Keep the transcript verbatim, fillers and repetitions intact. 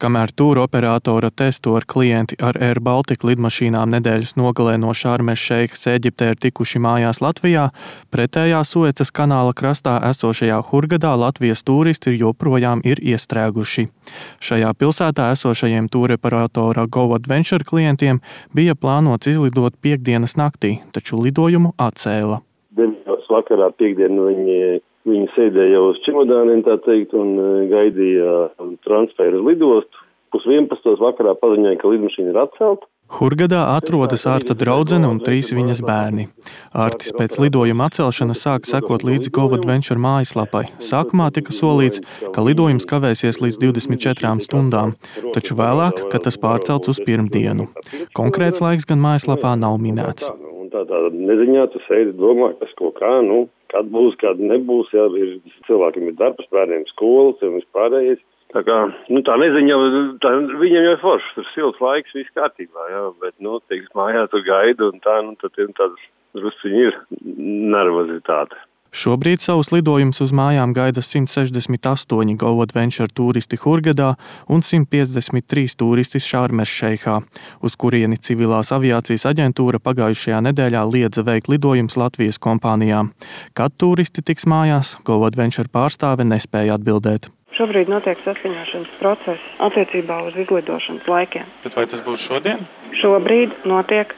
Kamēr tūra operatora testo ar klienti ar Air Baltica lidmašīnām nedēļas nogalē no Šarmes Šeikas Ēģiptē ir tikuši mājās Latvijā, pretējā Suecas kanāla krastā esošajā Hurgadā Latvijas tūristi joprojām ir iestrēguši. Šajā pilsētā esošajiem tūra operatora GoAdventure klientiem bija plānots izlidot piektdienas naktī, taču lidojumu atcēla. deviņos vakarā piekdienu viņi Viņi sēdēja jau uz čemodāniem, tā teikt, un gaidīja transferu uz lidostu. Pus vienpadsmitos vakarā paziņoja, ka lidmašīna ir atcelta. Hurgadā atrodas Arta draudzene un trīs viņas bērni. Artis pēc lidojuma atcelšanas sāka sekot līdzi GoAdventure mājaslapai. Sākumā tika solīts, ka lidojums kavēsies līdz divdesmit četrām stundām, taču vēlāk, ka tas pārcelts uz pirmdienu. Konkrēts laiks gan mājaslapā nav minēts. Tā tā neziņā tu sēdi domā, kas ko kā, nu, kad būs, kad nebūs, jā, ir, cilvēkiem ir darbs, bērniem skolas un vispārējais. Tā kā, nu, tā neziņa, tā, viņiem jau ir foršs, tur silts laiks, viss kārtībā, jā, bet, nu, teiks, mājā tur gaida un tā, nu, tad ir tāds drusciņi ir nervozitāte. Šobrīd savus lidojumus uz mājām gaida simt sešdesmit astoņi GoAdventure tūristi Hurgadā un simt piecdesmit trīs tūristi Šarmes Šeikā, uz kurieni civilās aviācijas aģentūra pagājušajā nedēļā liedza veikt lidojumus Latvijas kompānijām. Kad tūristi tiks mājās, GoAdventure pārstāve nespēja atbildēt. Šobrīd notiek saskaņošanas process attiecībā uz izlidošanas laikiem. Bet vai tas būs šodien? Šobrīd notiek